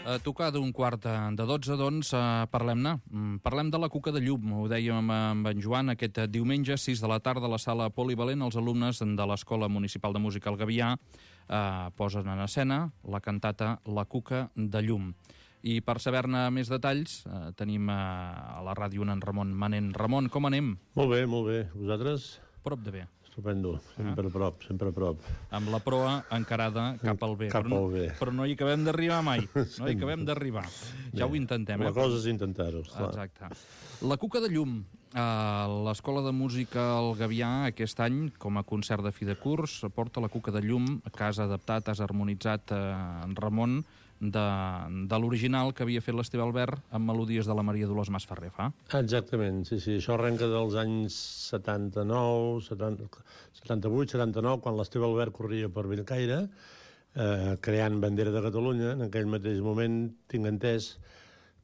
A tocar d'un quart de 12, doncs, parlem-ne. Parlem de la Cuca de Llum. Ho dèiem amb en Joan aquest diumenge, 6 de la tarda, a la sala polivalent. Els alumnes de l'Escola Municipal de Música al Gavià posen en escena la cantata La Cuca de Llum. I per saber-ne més detalls, tenim a la ràdio en Ramon Manent. Ramon, com anem? Molt bé, molt bé. Vosaltres? Prop de bé. Estupendo, sempre a prop, sempre a prop. Amb la proa encarada cap al bé. Cap al bé. Però no hi acabem d'arribar mai. No hi acabem d'arribar. Ja ho intentem, La cosa és intentar-ho, esclar. Exacte. La Cuca de Llum. L'Escola de Música al Gavià aquest any, com a concert de fi de curs, porta la Cuca de Llum, que has adaptat, has harmonitzat en Ramon, de l'original que havia fet l'Esteve Albert amb melodies de la Maria Dolors Masferrer, fa? Exactament, sí. Això arrenca dels anys 78, 79, quan l'Esteve Albert corria per Bellcaire, creant bandera de Catalunya. En aquell mateix moment tinc entès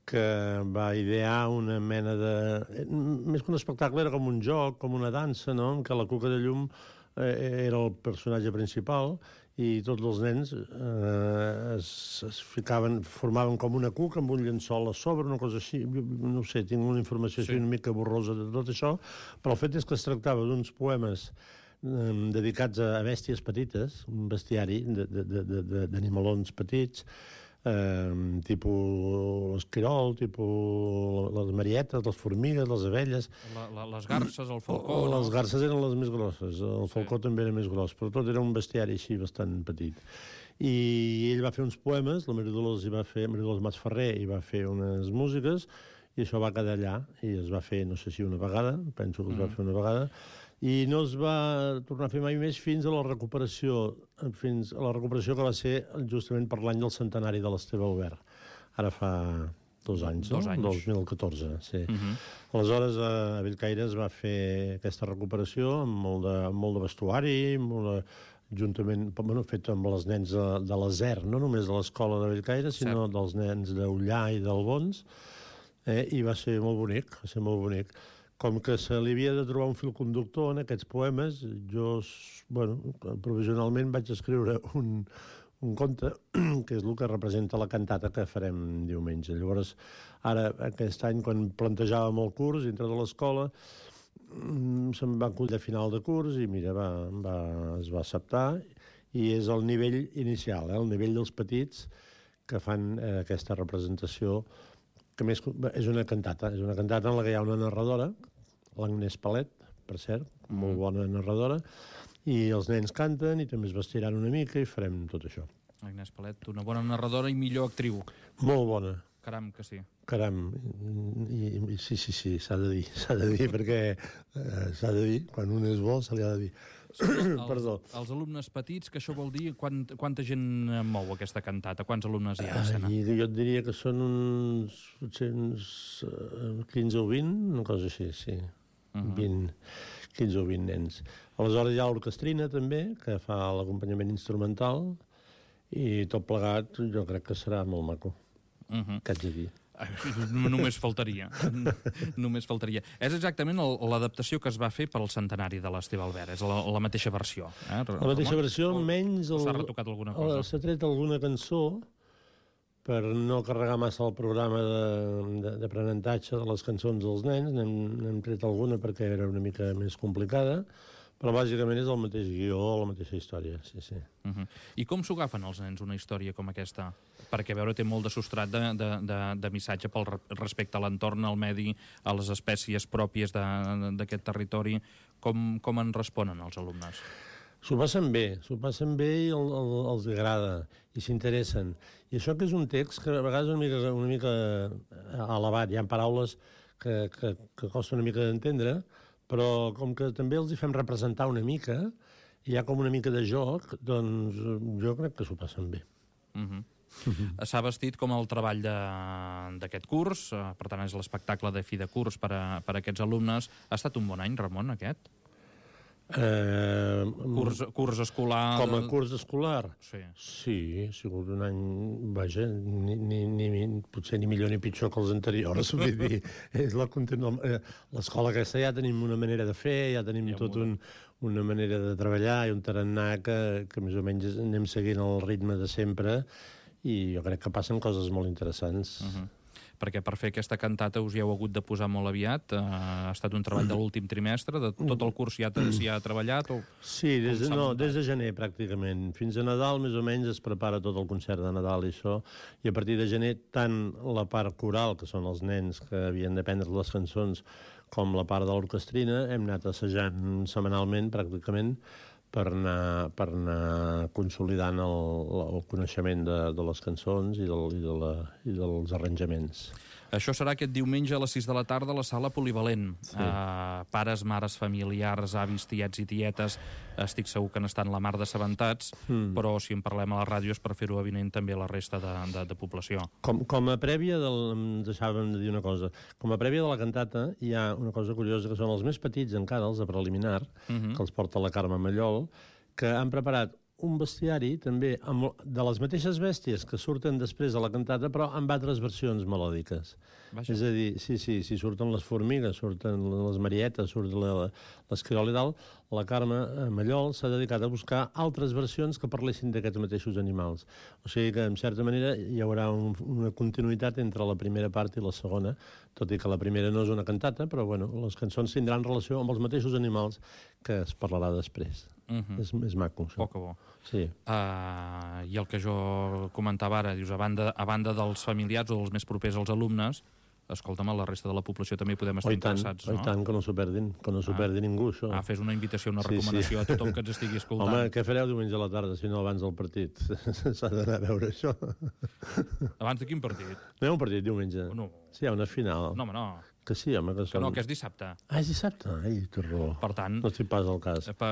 que va idear una mena de... Més que un espectacle, era com un joc, com una dansa, no?, en què la Cuca de Llum era el personatge principal i tots els nens formaven com una cuca amb un llençol a sobre, una cosa així. No ho sé, tinc una informació així una mica borrosa de tot això, però el fet és que es tractava d'uns poemes dedicats a bèsties petites, un bestiari d'animalons petits, tipus l'esquirol, tipus les marietes, les formigues, les abelles... Les garces, el falcó... Les garces eren les més grosses, el falcó també era més gros, però tot era un bestiari així bastant petit. I ell va fer uns poemes, la Maria Dolors Masferrer hi va fer unes músiques, i això va quedar allà, i es va fer, no sé si una vegada, penso que es va fer una vegada, i no es va tornar a fer mai més fins a la recuperació que va ser justament per l'any del centenari de l'Esteve Albert. Ara fa 2 anys, no? 2 anys. 2014, sí. Aleshores, a Bellcaire es va fer aquesta recuperació amb molt de vestuari, juntament, fet amb els nens de l'Aser, no només de l'escola de Bellcaire, sinó dels nens d'Ullà i d'Albons, i va ser molt bonic, Com que se li havia de trobar un fil conductor en aquests poemes, jo, provisionalment vaig escriure un conte, que és el que representa la cantata que farem diumenge. Llavors, ara, aquest any, quan plantejàvem el curs dintre de l'escola, se'm va acollir a final de curs i, mira, es va acceptar, i és el nivell inicial, el nivell dels petits que fan aquesta representació, que més és una cantata en la que hi ha una narradora, l'Agnès Palet, per cert, molt bona narradora, i els nens canten i també es vestiran una mica i farem tot això. Agnès Palet, una bona narradora i millor actriu. Molt bona. Caram, que sí. Caram, sí, s'ha de dir, perquè s'ha de dir, quan un és bo se li ha de dir. Perdó. Els alumnes petits, que això vol dir quanta gent mou aquesta cantata? Quants alumnes hi ha a escena? Jo et diria que són uns 15 o 20, una cosa així, sí. 15 o 20 nens. Aleshores hi ha l'orquestrina també, que fa l'acompanyament instrumental, i tot plegat jo crec que serà molt maco. Què haig de dir? Només faltaria. És exactament l'adaptació que es va fer pel centenari de l'Esteve Albert. És la mateixa versió. La mateixa versió, menys... S'ha retocat alguna cosa? S'ha tret alguna cançó per no carregar massa el programa d'aprenentatge de les cançons dels nens. N'hem tret alguna perquè era una mica més complicada, però bàsicament és el mateix guió, la mateixa història, sí. I com s'ho agafen els nens una història com aquesta? Perquè, a veure, té molt de substrat de missatge pel respecte a l'entorn, al medi, a les espècies pròpies d'aquest territori. Com en responen els alumnes? S'ho passen bé i els agrada, i s'interessen. I això que és un text que a vegades és una mica elevat, hi ha paraules que costa una mica d'entendre, però com que també els hi fem representar una mica, hi ha com una mica de joc, doncs jo crec que s'ho passen bé. S'ha vestit com el treball d'aquest curs, per tant és l'espectacle de fi de curs per a aquests alumnes. Ha estat un bon any, Ramon, aquest? Curs escolar... Com a curs escolar? Sí, ha sigut un any, vaja, potser ni millor ni pitjor que els anteriors, vull dir, l'escola aquesta ja tenim una manera de fer, ja tenim una manera de treballar i un tarannà que més o menys anem seguint el ritme de sempre, i jo crec que passen coses molt interessants. Perquè per fer aquesta cantata us hi heu hagut de posar molt aviat. Ha estat un treball de l'últim trimestre, de tot el curs s'hi ha treballat? Sí, des de gener, pràcticament. Fins a Nadal, més o menys, es prepara tot el concert de Nadal i això, i a partir de gener, tant la part coral, que són els nens que havien d'aprendre les cançons, com la part de l'orquestrina, hem anat assajant setmanalment, pràcticament, per anar consolidant el coneixement de les cançons i dels arranjaments. Això serà aquest diumenge a les 6 de la tarda a la sala Polivalent. Sí. Pares, mares, familiars, avis, tiets i tietes, estic segur que n'estan la mar d'assabentats, però si en parlem a la ràdio és per fer-ho avinent també a la resta de població. Com a prèvia em deixàvem de dir una cosa. Com a prèvia de la cantata hi ha una cosa curiosa, que són els més petits encara, els de preliminar, que els porta la Carme Mallol, que han preparat un bestiari també de les mateixes bèsties que surten després de la cantata, però amb altres versions melòdiques. Vaja. És a dir, sí, surten les formigues, surten les marietes, surt l'esquirol i tal. La Carme Mallol s'ha dedicat a buscar altres versions que parlessin d'aquests mateixos animals. O sigui que, en certa manera, hi haurà una continuïtat entre la primera part i la segona, tot i que la primera no és una cantata, però bueno, les cançons tindran relació amb els mateixos animals que es parlarà després. És maco, això. Poc a bo. Sí. I el que jo comentava ara, dius, a banda dels familiars o dels més propers als alumnes, escolta'm, a la resta de la població també hi podem estar interessats, no? I tant, que no s'ho perdin, ningú, això. Fes una invitació, una recomanació a tothom que ens estigui escoltant. Home, què fareu diumenge a la tarda, si no abans del partit? S'ha d'anar a veure això. Abans de quin partit? No hi ha un partit diumenge? No. Sí, hi ha una final. No, home, no. Que sí, home, que no, que és dissabte. És dissabte? Ai, té raó. Per tant... No estic pas al cas. Per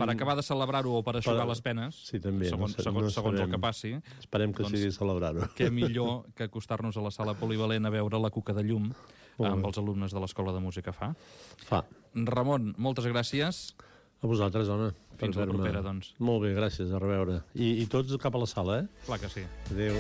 acabar de celebrar-ho o per eixugar les penes, sí, també, segons el que passi... Esperem que sigui celebrar-ho. Què millor que acostar-nos a la sala Polivalent a veure la Cuca de Llum amb els alumnes de l'Escola de Música Fa. Ramon, moltes gràcies. A vosaltres, home. Fins la propera, doncs. Molt bé, gràcies, a reveure. I tots cap a la sala, eh? Clar que sí. Adéu.